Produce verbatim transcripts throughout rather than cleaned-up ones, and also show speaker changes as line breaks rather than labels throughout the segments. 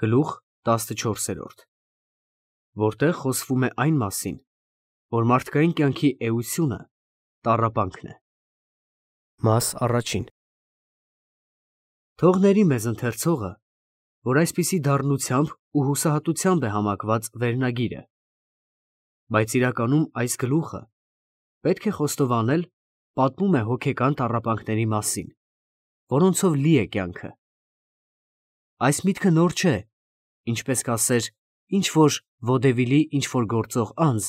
Գլուխ տասնչորսերորդ, որտեղ խոսվում է այն մասին, որ մարդկային կյանքի էությունը տառապանքն է։ Մաս առաջին. Թող ների մեզ ընթերցողը, որ այսպիսի դառնությամբ ու հուսահատությամբ է համակված վերնագիրը, բայց իրականում այս գլուխը պետք է խոստովանել պատմում է հոգեկան տառապանքների մասին, որոնցով լի է կյանքը։ Այս միտքը նոր չէ, ինչպես կասեր ինչ-որ վոդևիլի ինչ-որ գործող անձ,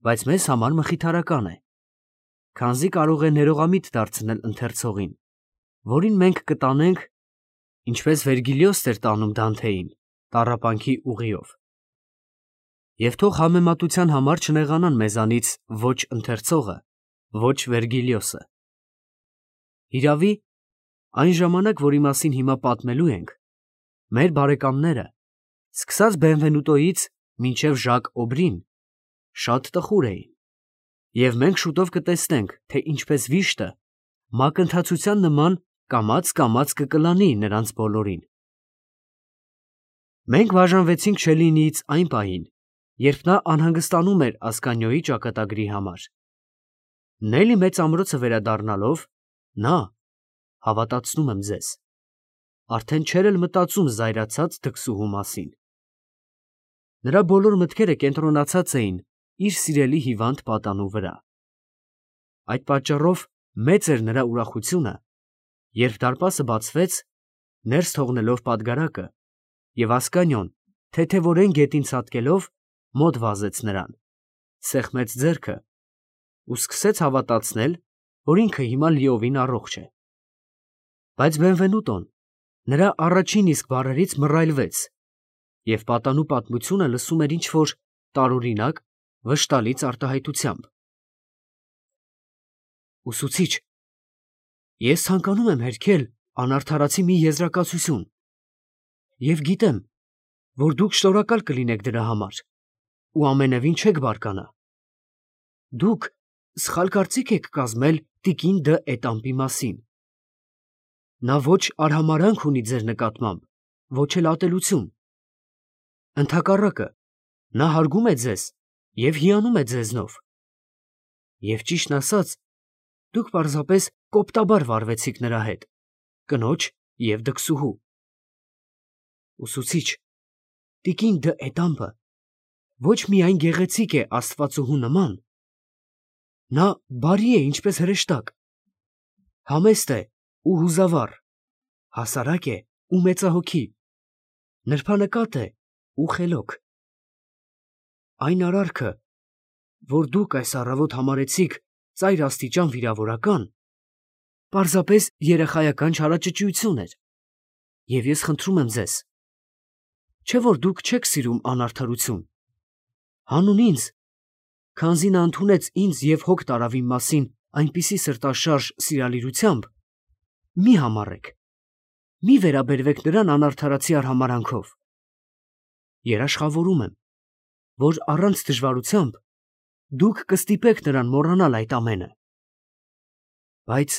բայց մեզ համար մխիթարական է, քանզի կարող է ներողամիտ դարձնել ընթերցողին, որին մենք կտանենք, ինչպես Վերգիլիոսն էր տանում Դանթեին, տառապանքի ուղիով։ Եվ թող համեմատության համար չնեղանան մեզանից ոչ ընթերցողը, ոչ Վերգիլիոսը։ Հիրավի, այն ժամանակ, որի մասին հիմա պատմելու ենք, մեր բարեկամները, սկսած Բենվենուտոից մինչև Ժակ Օբրին, շատ տխուր էին, և մենք շուտով կտեսնենք, թե ինչպես վիշտը մակընթացության նման կամաց-կամաց կկլանի նրանց բոլորին։ Մենք բաժանվեցինք Շելլինիից այն պահին, երբ նա անհանգստանում էր Ասկանիոյի ճակատագրի համար։ Նելի մեծ ամրոցը վերադառնալով, նա, հավատացնում եմ ձեզ, արդեն չէր էլ մտածում զայրացած դքսուհու մասին։ Նրա բոլոր մտքերը կենտրոնացած էին իր սիրելի հիվանդ պատանու վրա։ Այդ պատճառով մեծ էր նրա ուրախությունը, երբ դարպասը բացվեց, ներս թողնելով պատգարակը, և Ասկանիոն, թեթևորեն գետին ցատկելով, մոտ վազեց նրան, սեղմեց ձեռքը ու սկսեց հավատացնել, որ ինքը հիմա լիովին առողջ է։ Բայց Բենվենուտոն նրա առաջին իսկ բառերից մռայլվեց և պատանու պատմությունը լսում էր ինչ-որ տարօրինակ, վշտալից արտահայտությամբ։ Ուսուցիչ, ես ցանկանում եմ հերքել անարդարացի մի եզրակացություն և գիտեմ, որ դուք շնորհակալ կլինեք դրա համար ու ամենևին չեք բարկանա։ Դուք սխալ կարծիք եք կազմել տիկին դը Էտամպի մասին։ Նա ոչ արհամարհանք ունի ձեր նկատմամբ, ոչ էլ ատելություն։ Ընդհակառակը, նա հարգում է ձեզ և հիանում է ձեզնով։ Եվ ճիշտն ասած, դուք պարզապես կոպտաբար վարվեցիք նրա հետ, կնոջ և դքսուհու։ Ուսուցիչ, տիկին դը Էտամպը ոչ միայն գեղեցիկ է աստվածուհու նման, նա բարի է ինչպես հրեշտակ, համեստ է ու հուզավառ, հասարակ է ու մեծահոգի, նրբանկատ է ու խելոք։ Այն արարքը, որ դուք այս առավոտ համարեցիք ծայր աստիճան վիրավորական, պարզապես երեխայական չարաճճիություն էր, և ես խնդրում եմ ձեզ, չէ՞ որ դուք չեք սիրում անարդարություն, հանուն ինձ, քանզի նա ընդունեց ինձ և հոգ տարավ իմ մասին այնպիսի սրտաշարժ սիրալիրությամբ, մի համառեք, մի վերաբերվեք նրան անարդարացի արհամարհանքով։ Երաշխավորում եմ, որ առանց դժվարությամբ դուք կստիպեք նրան մոռանալ այդ ամենը։ Բայց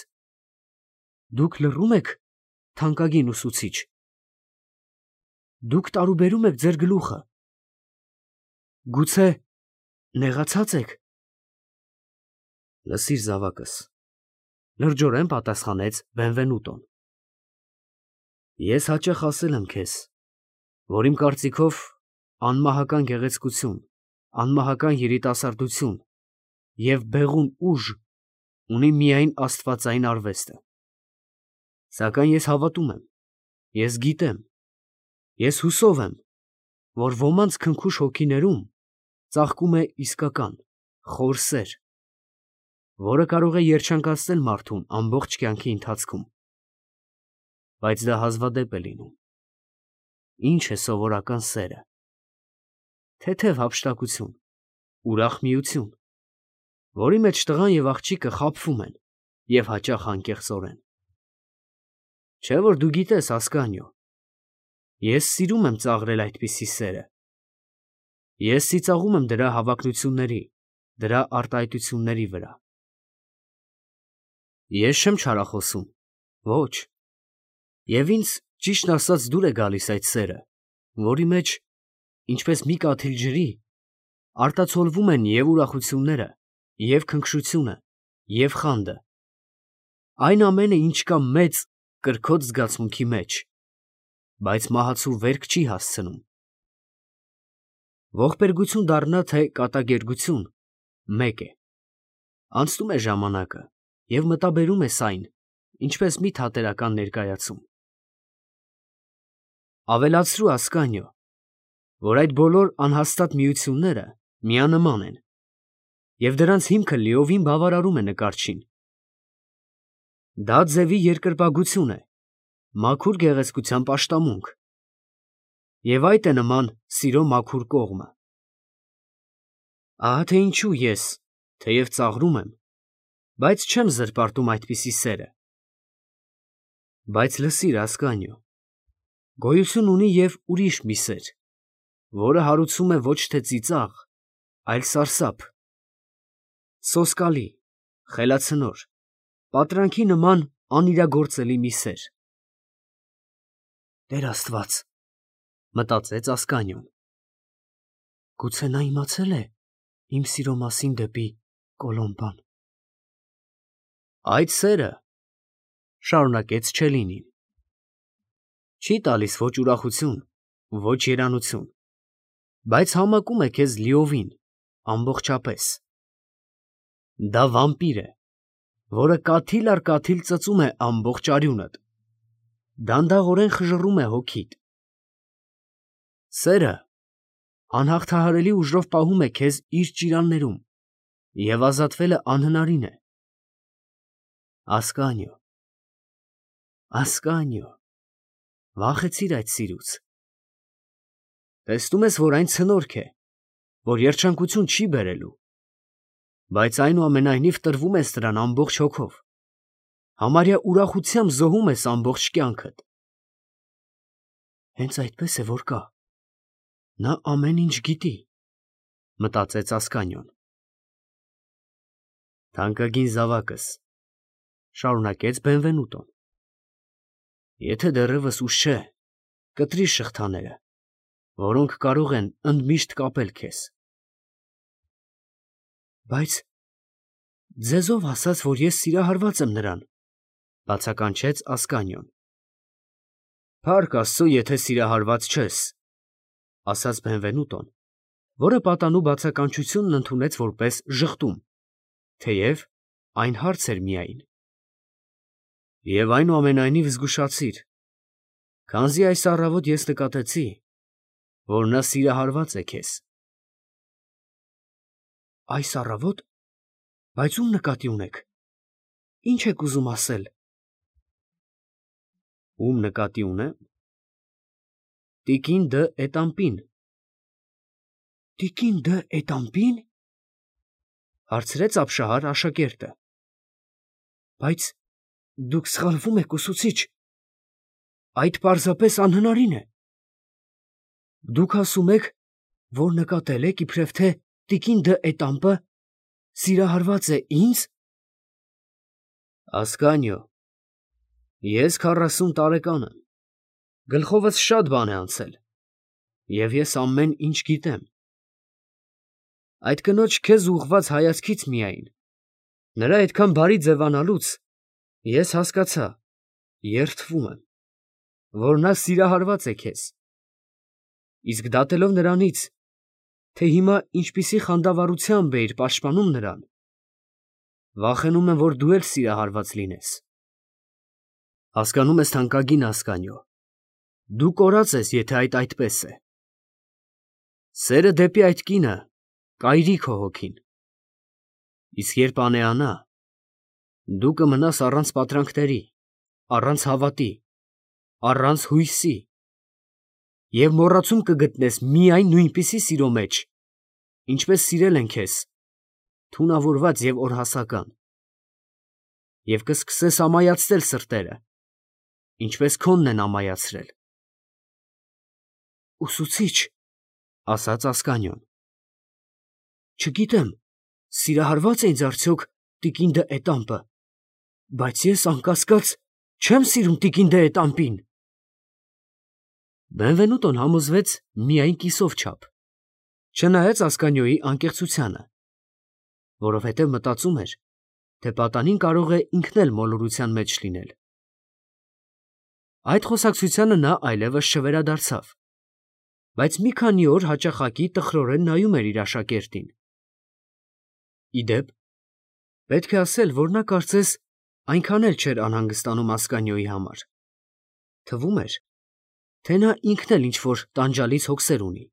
դուք լռում եք, թանկագին ուսուցիչ, դուք տարուբերում եք ձեր գլուխը, գուցե նեղացած եք։ Լսիր, զավակս, լրջորեն պատասխանեց Բենվենուտոն, ես հաճախ ասել եմ քեզ, որ իմ կարծիքով անմահական գեղեցկություն, անմահական երիտասարդություն և բեղուն ուժ ունի միայն աստվածային արվեստը։ Սակայն ես հավատում եմ, ես գիտեմ, ես հուսով եմ, որ ոմանց քնքուշ հոգիներում ծաղկում է իսկական, խոր սեր, որը կարող է երջանկացնել մարդուն ամբողջ կյանքի ընթացքում։ Բայց դա հազվադեպ է լինում։ Ինչ է սովորական սերը։ Թեթև հափշտակություն, ուրախ միություն, որի մեջ տղան և աղջիկը խաբվում են և հաճախ անկեղծորեն։ Չէ՞ որ դու գիտես, Ասկանիո, ես սիրում եմ ծաղրել այդպիսի սերը։ Ես ծիծաղում եմ դրա հավակնությունների, դրա արտահայտությունների վրա։ Ես չեմ չարախոսում, ոչ, և ինձ, ճիշտն ասած, դուր է գալիս այդ սերը, որի մեջ, ինչպես մի կաթիլ ջրի, արտացոլվում են և ուրախությունները, և քնքշությունը, և խանդը, այն ամենը, ինչ կա մեծ, կրքոտ զգացմունքի մեջ, բայց մահացու վերք չի հասցնում։ Ողբերգություն դառնա, թե կատակերգություն, մեկ է. անցնում է ժամանակը և մտաբերում ես այն, ինչպես մի թատերական ներկայացում։ Ավելացրու, Ասկանիո, որ այդ բոլոր անհաստատ միությունները միանման են, և դրանց հիմքը լիովին բավարարում է նկարչին։ Դա ձևի երկրպագություն է, մաքուր գեղեցկության պաշտամունք, և այդ է նման սիրո մաքուր կողմը։ Ահա թե ինչու ես, թեև ծաղրում եմ, բայց չեմ զրպարտում այդպիսի սերը։ Բայց լսիր, Ասկանիո, գոյություն ունի և ուրիշ մի սեր, որը հարուցում է ոչ թե ծիծաղ, այլ սարսափ, սոսկալի, խելացնոր, պատրանքի նման անիրագործելի մի սեր։ «Տեր Աստված», մտածեց Ասկանիոն, գուցե նա իմացել է իմ սիրո մասին դեպի Կոլոմբան։ Այդ սերը, շարունակեց Չելլինին, չի տալիս ոչ ուրախություն, ոչ երանություն, բայց համակում է քեզ լիովին, ամբողջապես։ Դա վամպիր է, որը կաթիլ առ կաթիլ ծծում է ամբողջ արյունդ, դանդաղորեն խժռում է հոգիդ։ Սերը անհաղթահարելի ուժով պահում է քեզ իր ճիրաններում և ազատվելը անհնարին է։ Ասկանիո, Ասկանիո, վախեցիր այդ սիրուց։ Տեսնում ես, որ այն ցնորք է, որ երջանկություն չի բերելու, բայց այնուամենայնիվ տրվում ես նրան ամբողջ հոգով, համարյա ուրախությամբ զոհում ես ամբողջ կյանքդ։ Հենց այդպես է, որ կա, նա ամեն ինչ գիտի, մտածեց Ասկանիոն։ Թանկագին զավակս, շարունակեց Բենվենուտոն, եթե դեռևս ուշ չէ, կտրիր շղթաները, որոնք կարող են ընդմիշտ կապել քեզ։ Բայց ձեզ ով ասաց, որ ես սիրահարված եմ նրան, բացականչեց Ասկանիոն։ Փառք Աստծո, եթե սիրահարված չես, ասաց Բենվենուտոն, որը պատանու բացականչությունն ընդունեց որպես ժխտում, թեև այն հարց էր միայն։ Եվ այնուամենայնիվ զգուշացիր, քանզի այս առավոտ ես նկատեցի, որ նա սիրահարված է քեզ։ Այս առավո՞տ, բայց ում նկատի ունեք, ի՞նչ եք ուզում ասել։ Ում նկատի ունեմ։ Տիկին դը Էտամպին։ Տիկին դը Էտամպի՞ն, հարցրեց ապշահար աշակերտը։ Բայց դուք սխալվում եք, ուսուցիչ, այդ պարզապես անհնարին է։ Դուք ասում եք, որ նկատել եք, իբրև թե տիկին դը Էտամպը սիրահարված է ինձ։ Ասկանիո, ես քառասուն տարեկան եմ, գլխովս շատ բան է անցել, և ես ամեն ինչ գիտեմ։ Այդ կնոջ քեզ ուղղված հայացքից միայն, նրա այդքան բարի ձևանալուց ես հասկացա, երդվում եմ, որ նա սիրահարված է քեզ, իսկ դատելով նրանից, թե հիմա ինչպիսի խանդավառությամբ էիր պաշտպանում նրան, վախենում եմ, որ դու էլ սիրահարված լինես։ Հասկանում ես, թանկագին Ասկանիո, դու կորած ես, եթե այդ այդպես է։ Սերը դեպի այդ կինը կայրի քո հոգին, իսկ երբ անեանա, դու կմնաս առանց պատրանքների, առանց հավատի, առանց հույսի, և մոռացում կգտնես միայն նույնպիսի սիրո մեջ, ինչպես սիրել են քեզ, թունավորված և օրհասական, և կսկսես ամայացնել սրտերը, ինչպես քոնն են ամայացրել։ Ուսուցիչ, ասաց Ասկանիոն, չգիտեմ, սիրահարվա՞ծ է ինձ արդյոք տիկին դը Էտամպը, բայց ես, անկասկած, չեմ սիրում տիկին դը Էտամպին։ Բենվենուտոն համոզվեց միայն կիսով չափ, չնայած Ասկանյոյի անկեղծությանը, որովհետև մտածում էր, թե պատանին կարող է ինքն էլ մոլորության մեջ լինել։ Այդ խոսակցությանը նա այլևս չվերադարձավ, բայց մի քանի օր հաճախակի տխրորեն նայում էր իր աշակերտին։ Ի դեպ, պետք է ասել, որ նա կարծես այնքան էլ չէր անհանգստանում Ասկանյոյի համար։ Թվում էր, թե նա ինքն էլ ինչ-որ տանջալից հոգսեր ունի։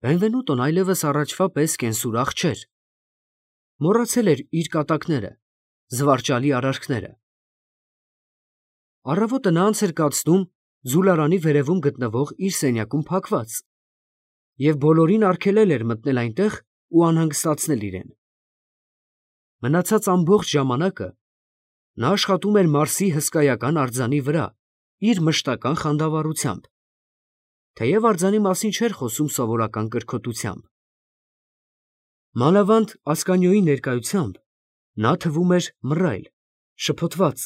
Բենվենուտոն այլևս առաջվա պես կենսուրախ չէր, մոռացել էր իր կատակները, զվարճալի արարքները։ Առավոտը նա անց էր կացնում ձուլարանի վերևում գտնվող իր սենյակում փակված և բոլորին արգելել էր մտնել այնտեղ ու անհանգստացնել իրեն։ Մնացած ամբողջ ժամանակը նա աշխատում էր Մարսի հսկայական արձանի վրա իր մշտական խանդավառությամբ, թեև արձանի մասին չէր խոսում սովորական կրքոտությամբ։ Մանավանդ Ասկանյոյի ներկայությամբ նա թվում էր մռայլ, շփոթված,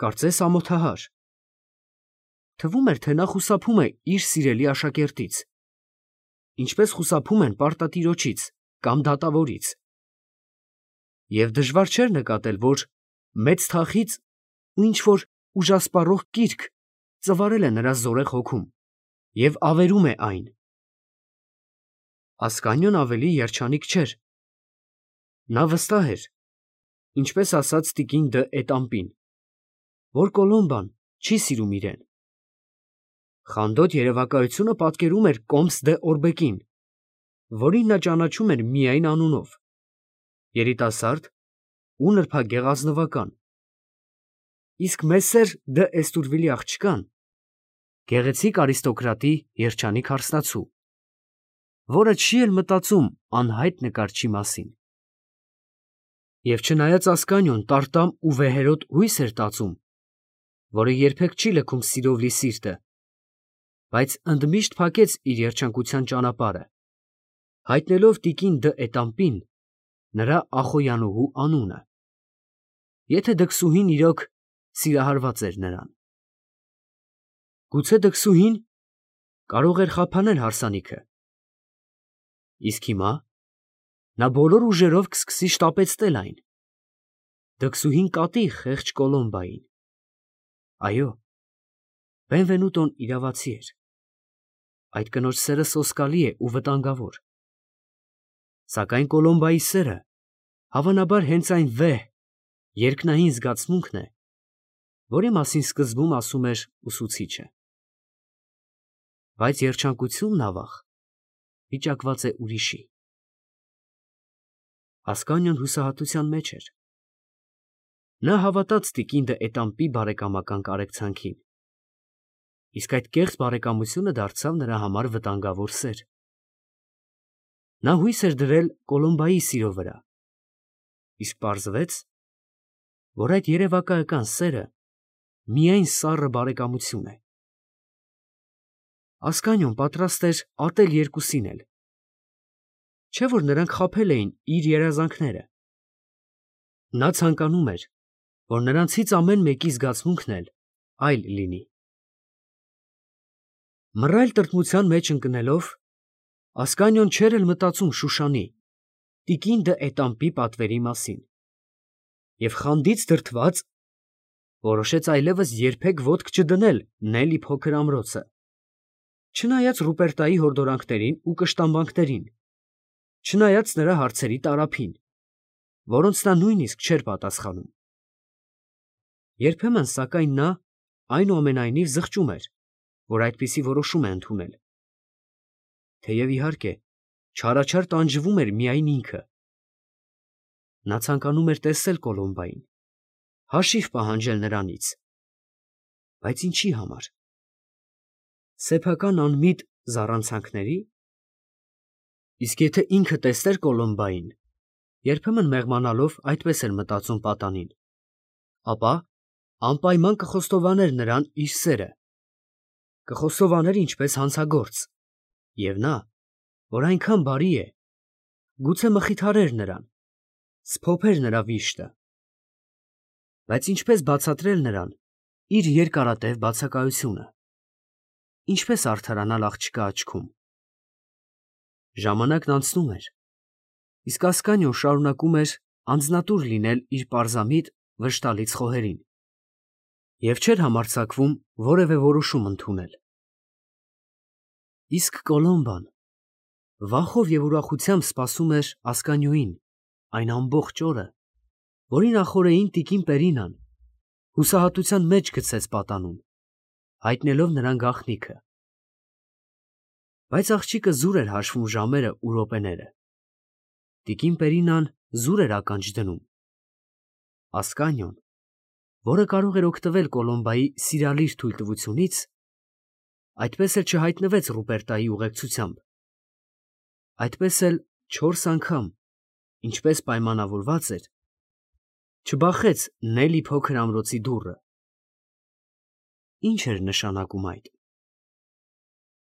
կարծես ամոթահար։ Թվում էր, թե նա խուսափում է իր սիրելի աշակերտից, ինչպես խուսափում են պարտատիրոջից կամ դատավորից։ Եվ դժվար չէր նկատել, որ մեծ թախիծ ու ինչ-որ ուժասպառող կիրք ծվարել է նրա զորեղ հոգում և ավերում է այն։ Ասկանյոն ավելի երջանիկ չէր։ Նա վստահ էր, ինչպես ասաց տիկին դը Էտամպին, որ Կոլոմբան չի սիրում իրեն։ Խանդոտ երևակայությունը պատկերում էր Կոմս դե Օրբեկին, որին նա ճանաչում էր միայն անունով, երիտասարդ ու նրբագեղ ազնվական, իսկ Մեսսեր դը Էստուրվիլի աղջկան գեղեցիկ արիստոկրատի երջանիկ հարսնացու, որը չի էլ մտածում անհայտ նկարչի մասին։ Եվ չնայած Ասկանյոն տարտամ ու վեհերոտ հույս էր տածում, որը երբեք չի լքում սիրով լի սիրտը, բայց ընդմիշտ փակեց իր երջանկության ճանապարհը, հայտնելով տիկին դը Էտամպին նրա Ախոյանուհու անունը, եթե դքսուհին իրոք սիրահարված էր նրան։ Գուցե դքսուհին կարող էր խափանել հարսանիքը, իսկ հիմա նա բոլոր ուժերով կսկսի շտապեցնել այն։ Դքսուհին կատի խեղճ Կոլոմբային։ Այո, Բենվենուտոն իրավացի էր։ Այդ կնոջ սերը սոսկալի է ու վտանգավոր։ Սակայն Կոլոմբայի սերը հավանաբար հենց այն վեհ, երկնային զգացմունքն է, որի մասին սկզբում ասում էր ուսուցիչը։ Բայց երջանկությունն ավաղ վիճակված է ուրիշի։ Ասկանյոն հուսահատության մեջ էր։ Նա հավատաց տիկին դը Էտամպի բարեկամական կարեկցանքին, իսկ այդ կեղծ բարեկամությունը դարձավ նրա համար վտանգավոր սեր։ Նա հույս էր դրել Կոլոմբայի սիրո վրա, իսկ պարզվեց, որ այդ երևակայական սերը միայն սառը բարեկամություն է։ Ասկանյոն պատրաստ էր ատել երկուսին էլ, չէ՞ որ նրանք խաբել էին իր երազանքները։ Նա ցանկանում էր, որ նրանցից ամեն մեկի զգացմունքն էլ այլ լինի։ Մռայլ տրտմության մեջ ընկնելով, Ասկանյոն չէր էլ մտածում Շուշանի, տիկին դը Էտամպի պատվերի մասին, և խանդից դրդված որոշեց այլևս երբեք ոտք չդնել Նելի փոքր ամրոցը, չնայած Ռուպերտայի հորդորանքներին ու կշտամբանքներին, չնայած նրա հարցերի տարափին, որոնց նա նույնիսկ չէր պատասխանում։ Երբեմն, սակայն, նա այնուամենայնիվ զղջում էր, որ այդպիսի որոշում է ընդունել, թեև, իհարկե, չարաչար տանջվում էր միայն ինքը։ Նա ցանկանում էր տեսնել Կոլոմբային, հաշիվ պահանջել նրանից, բայց ինչի համար։ Սեփական անմիտ զառանցանքների՞։ Իսկ եթե ինքը տեսներ Կոլոմբային, երբեմն մեղմանալով այդպես էր մտածում պատանին, ապա անպայման կխոստովաներ նրան իր սերը, կխոստովաներ ինչպես հանցագործ, և նա, որ այնքան բարի է, գուցե մխիթարեր նրան, սփոփեր նրա վիշտը։ Բայց ինչպես բացատրել նրան իր երկարատև բացակայությունը։ ինչպես արդարանալ աղջկա աչքում։ Ժամանակն անցնում էր, իսկ Ասկանիոն շարունակում էր անձնատուր լինել իր պարզամիտ վշտալից խոհերին և չէր համարձակվում որևէ որոշում ընդունել։ Իսկ Կոլոմբան վախով և ուրախությամբ սպասում էր Ասկանիոյին այն ամբողջ օրը, որի նախօրեին տիկին Պերինան հուսահատության մեջ գցեց պատանուն, հայտնելով նրան գաղտնիքը։ Բայց աղջիկը զուր էր հաշվում ժամերը ու րոպեները. տիկին Պերինան զուր էր ականջ դնում։ Ասկանիոն, որը կարող էր օգտվել Կոլոմբայի սիրալիր թույլտվությունից, այդպես էլ չհայտնվեց Ռուպերտայի ուղեկցությամբ, այդպես էլ չորս անգամ, ինչպես պայմանավորված էր, չբախեց Նելլի փոքր ամրոցի դուռը։ Ի՞նչ էր նշանակում այդ։